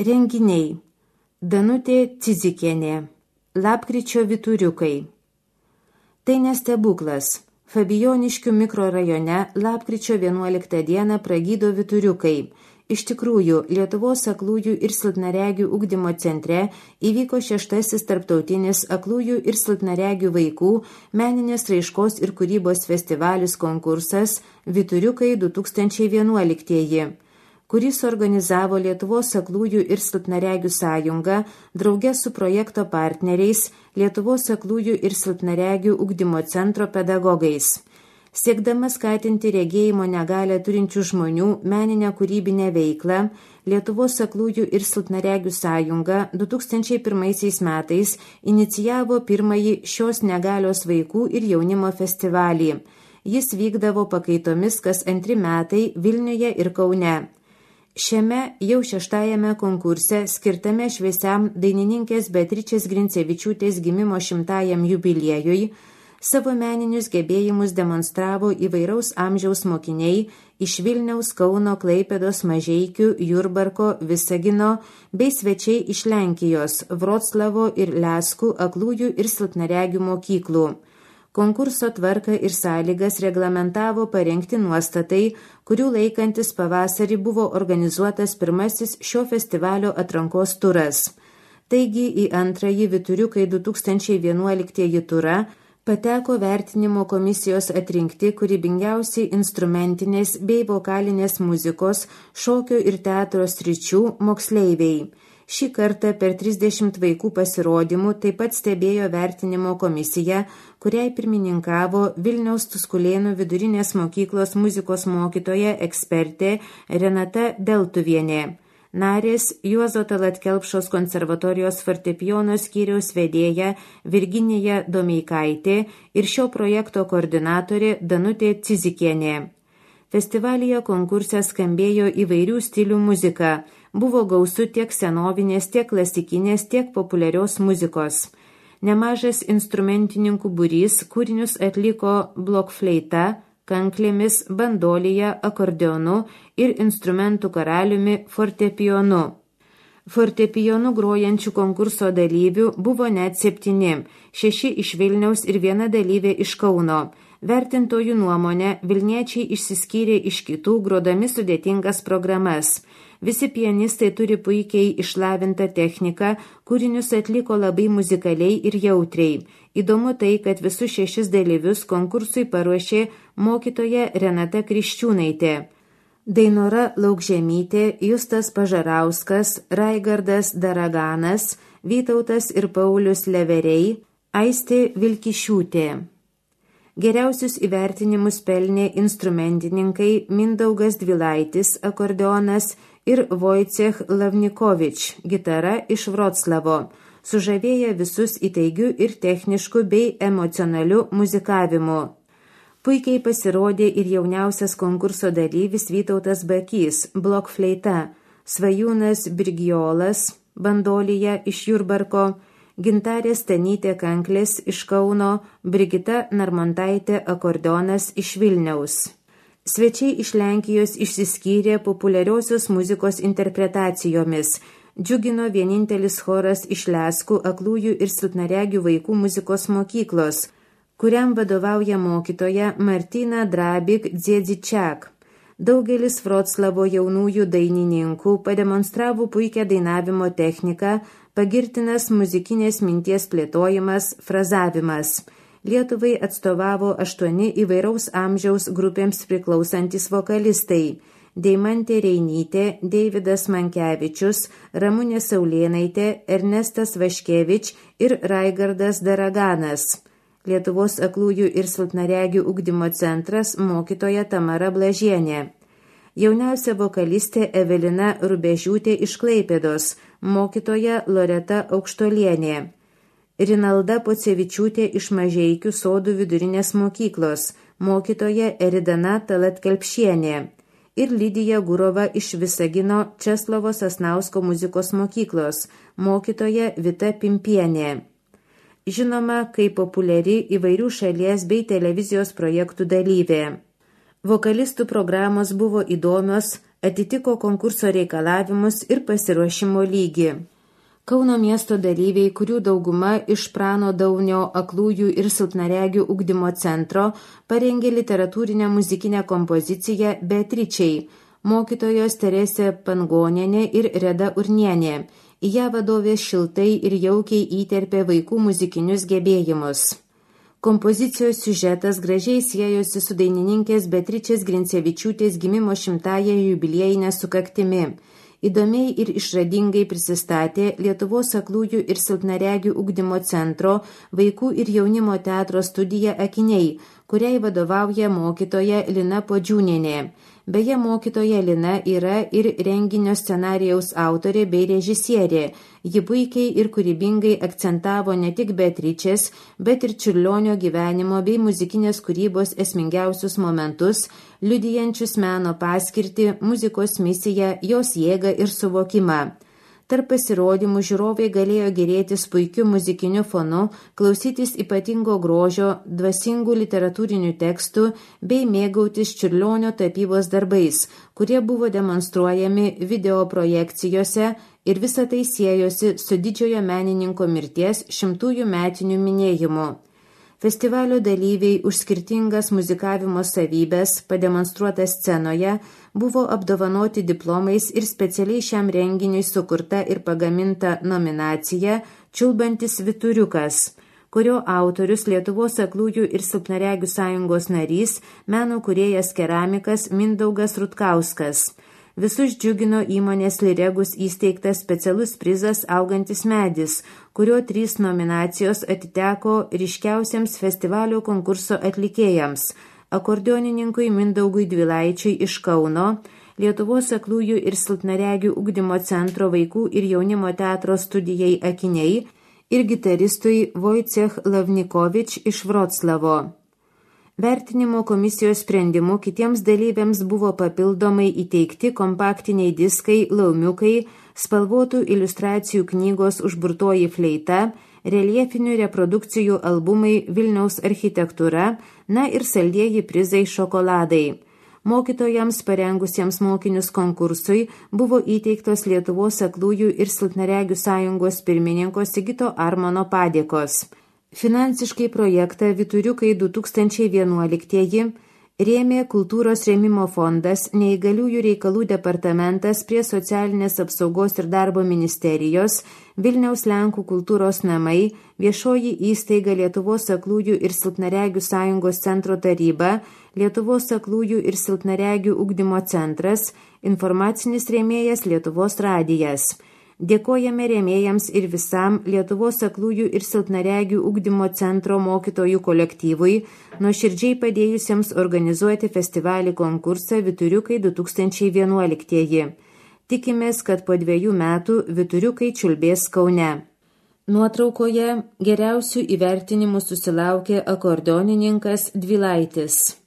Renginiai. Danutė Cidzikienė. Lapkričio vyturiukai. Tai nestebuklas. Fabijoniškių mikrorajone lapkričio 11 dieną pragydo vyturiukai. Iš tikrųjų, Lietuvos aklųjų ir silpnaregių ugdymo centre įvyko 6. tarptautinis aklųjų ir silpnaregių vaikų meninės raiškos ir kūrybos festivalis konkursas Vyturiukai 2011, kurį suorganizavo Lietuvos aklųjų ir silpnaregių sąjunga drauge su projekto partneriais Lietuvos aklųjų ir silpnaregių ugdymo centro pedagogais. Siekdama skatinti regėjimo negalią turinčių žmonių meninę kūrybinę veiklą, Lietuvos aklųjų ir silpnaregių sąjunga 2001 metais inicijavo pirmąjį šios negalios vaikų ir jaunimo festivalį. Jis vykdavo pakaitomis kas 2 metai Vilniuje ir Kaune. Šiame jau 6. konkurse skirtame šviesiam dainininkės Beatričės Grincevičiūtės gimimo 100-ajam jubiliejui savo meninius gebėjimus demonstravo įvairaus amžiaus mokiniai iš Vilniaus, Kauno, Klaipėdos, Mažeikių, Jurbarko, Visagino bei svečiai iš Lenkijos, Vroclavo ir Leskų aklųjų ir silpnaregių mokyklų. Konkurso tvarką ir sąlygas reglamentavo parengti nuostatai, kurių laikantis pavasarį buvo organizuotas pirmasis šio festivalio atrankos turas. Taigi į antrąjį Vyturiukai 2011 turą pateko vertinimo komisijos atrinkti kūrybingiausiai instrumentinės bei vokalinės muzikos, šokio ir teatro sričių moksleiviai. Šį kartą per 30 vaikų pasirodymų taip pat stebėjo vertinimo komisija, kuriai pirmininkavo Vilniaus Tuskulėnų vidurinės mokyklos muzikos mokytoja ekspertė Renata Deltuvienė. Narės Juozo Tallat Kelpšos konservatorijos fortepijono skyriaus vedėja Virginija Domeikaitė ir šio projekto koordinatorė Danutė Cidzikienė. Festivalyje konkurse skambėjo įvairių stilių muzika. Buvo gausu tiek senovinės, tiek klasikinės, tiek populiarios muzikos. Nemažas instrumentininkų būrys kūrinius atliko blokfleita, kanklėmis, bandolija, akordeonu ir instrumentų karaliumi fortepijonu. Fortepijonu grojančių konkurso dalyvių buvo net 7, 6 iš Vilniaus ir 1 dalyvė iš Kauno. Vertintojų nuomonė, vilniečiai išsiskyrė iš kitų, grodami sudėtingas programas. Visi pianistai turi puikiai išlavintą techniką, kūrinius atliko labai muzikaliai ir jautriai. Įdomu tai, kad visus 6 dalyvius konkursui paruošė mokytoja Renata Kriščiūnaitė. Dainora Laukžemytė, Justas Pažarauskas, Raigardas Daraganas, Vytautas ir Paulius Leveriai, Aistė Vilkišiūtė. Geriausius įvertinimus pelnė instrumentininkai Mindaugas Dvilaitis, akordeonas, ir Wojciech Lavnikovič, gitara iš Vroclavo, sužavėję visus įtaigių ir techniškų bei emocionalių muzikavimu. Puikiai pasirodė ir jauniausias konkurso dalyvis Vytautas Bakys, blokfleita, Svajūnas Birgiolas, bandolija iš Jurbarko, Gintarė Stanytė kanklės iš Kauno, Brigita Narmontaitė akordeonas iš Vilniaus. Svečiai iš Lenkijos išsiskyrė populiariosios muzikos interpretacijomis. Džiugino vienintelis choras iš Leskų aklųjų ir silpnaregių vaikų muzikos mokyklos, kuriam vadovauja mokytoja Martina Drabik Dziedzičiak. Daugelis Vroclavo jaunųjų dainininkų pademonstravo puikią dainavimo techniką, pagirtinas muzikinės minties plėtojimas, frazavimas. Lietuvai atstovavo 8 įvairaus amžiaus grupėms priklausantis vokalistai – Deimantė Reinytė, Deividas Mankevičius, Ramunė Saulėnaitė, Ernestas Vaškevič ir Raigardas Daraganas. Lietuvos aklųjų ir silpnaregių ugdymo centras mokytoja Tamara Blažienė. Jauniausia vokalistė Evelina Rubežiūtė iš Klaipėdos, mokytoja Loreta Aukštolienė. Rinalda Pocevičiūtė iš Mažeikių Sodų vidurinės mokyklos, mokytoja Eridana Tallat Kelpšienė ir Lidija Gurova iš Visagino Česlovo Sasnausko muzikos mokyklos, mokytoja Vita Pimpienė. Žinoma, kaip populiari įvairių šalies bei televizijos projektų dalyvė. Vokalistų programos buvo įdomios, atitiko konkurso reikalavimus ir pasiruošimo lygį. Kauno miesto dalyviai, kurių dauguma iš Prano Daunio aklųjų ir silpnaregių ugdymo centro, parengė literatūrinę muzikinę kompoziciją Beatričiai, mokytojos Teresė Pangonienė ir Reda Urnienė. Į ją vadovės šiltai ir jaukiai įterpė vaikų muzikinius gebėjimus. Kompozicijos siužetas gražiai siejosi su dainininkės Beatričės Grincevičiūtės gimimo 100-ąją jubiliejinę sukaktimi. Įdomiai ir išradingai prisistatė Lietuvos aklųjų ir silpnaregių ugdymo centro vaikų ir jaunimo teatro studija Akiniai, kuriai vadovauja mokytoja Lina Podžiūnienė. Beje, mokytoja Lina yra ir renginio scenarijaus autorė bei režisierė. Ji puikiai ir kūrybingai akcentavo ne tik Beatričės, bet ir Čiurlionio gyvenimo bei muzikinės kūrybos esmingiausius momentus, liudijančius meno paskirtį, muzikos misiją, jos jėgą ir suvokimą. Tarp pasirodymų žiūrovai galėjo gėrėtis puikiu muzikiniu fonu, klausytis ypatingo grožio, dvasingų literatūrinių tekstų bei mėgautis Čiurlionio tapybos darbais, kurie buvo demonstruojami video projekcijose ir visa tai siejosi su didžiojo menininko mirties 100-ųjų metinių minėjimu. Festivalio dalyviai už skirtingas muzikavimo savybės, pademonstruotas scenoje, buvo apdovanoti diplomais ir specialiai šiam renginiui sukurta ir pagaminta nominacija Čiulbantis Vyturiukas, kurio autorius Lietuvos aklųjų ir silpnaregių sąjungos narys, meno kūrėjas keramikas Mindaugas Rutkauskas. Visus džiugino įmonės Liregus įsteigtas specialus prizas Augantis medis, kurio 3 nominacijos atiteko ryškiausiems festivalio konkurso atlikėjams – akordionininkui Mindaugui Dvilaičiui iš Kauno, Lietuvos aklųjų ir silpnaregių ugdymo centro vaikų ir jaunimo teatro studijai Akiniai ir gitaristui Wojciech Lavnikovič iš Vroclavo. Vertinimo komisijos sprendimu kitiems dalyviams buvo papildomai įteikti kompaktiniai diskai Laumiukai, spalvotų iliustracijų knygos Užburtoji fleita, reljefinių reprodukcijų albumai Vilniaus architektūra, na ir saldieji prizai Šokoladai. Mokytojams parengusiems mokinius konkursui buvo įteiktos Lietuvos aklųjų ir silpnaregių sąjungos pirmininko Sigito Armono padėkos. Finansiškai projektą Vyturiukai 2011 rėmė Kultūros rėmimo fondas, Neįgaliųjų reikalų departamentas prie Socialinės apsaugos ir darbo ministerijos, Vilniaus Lenkų kultūros namai, viešoji įstaiga Lietuvos aklųjų ir silpnaregių sąjungos centro taryba, Lietuvos aklųjų ir silpnaregių ugdymo centras, informacinis rėmėjas Lietuvos radijas. Dėkojame rėmėjams ir visam Lietuvos aklųjų ir silpnaregių ugdymo centro mokytojų kolektyvui, nuoširdžiai padėjusiems organizuoti festivalį konkursą Vyturiukai 2011. Tikimės, kad po 2 metų Vyturiukai čiulbės Kaune. Nuotraukoje geriausių įvertinimų susilaukė akordeonininkas Dvilaitis.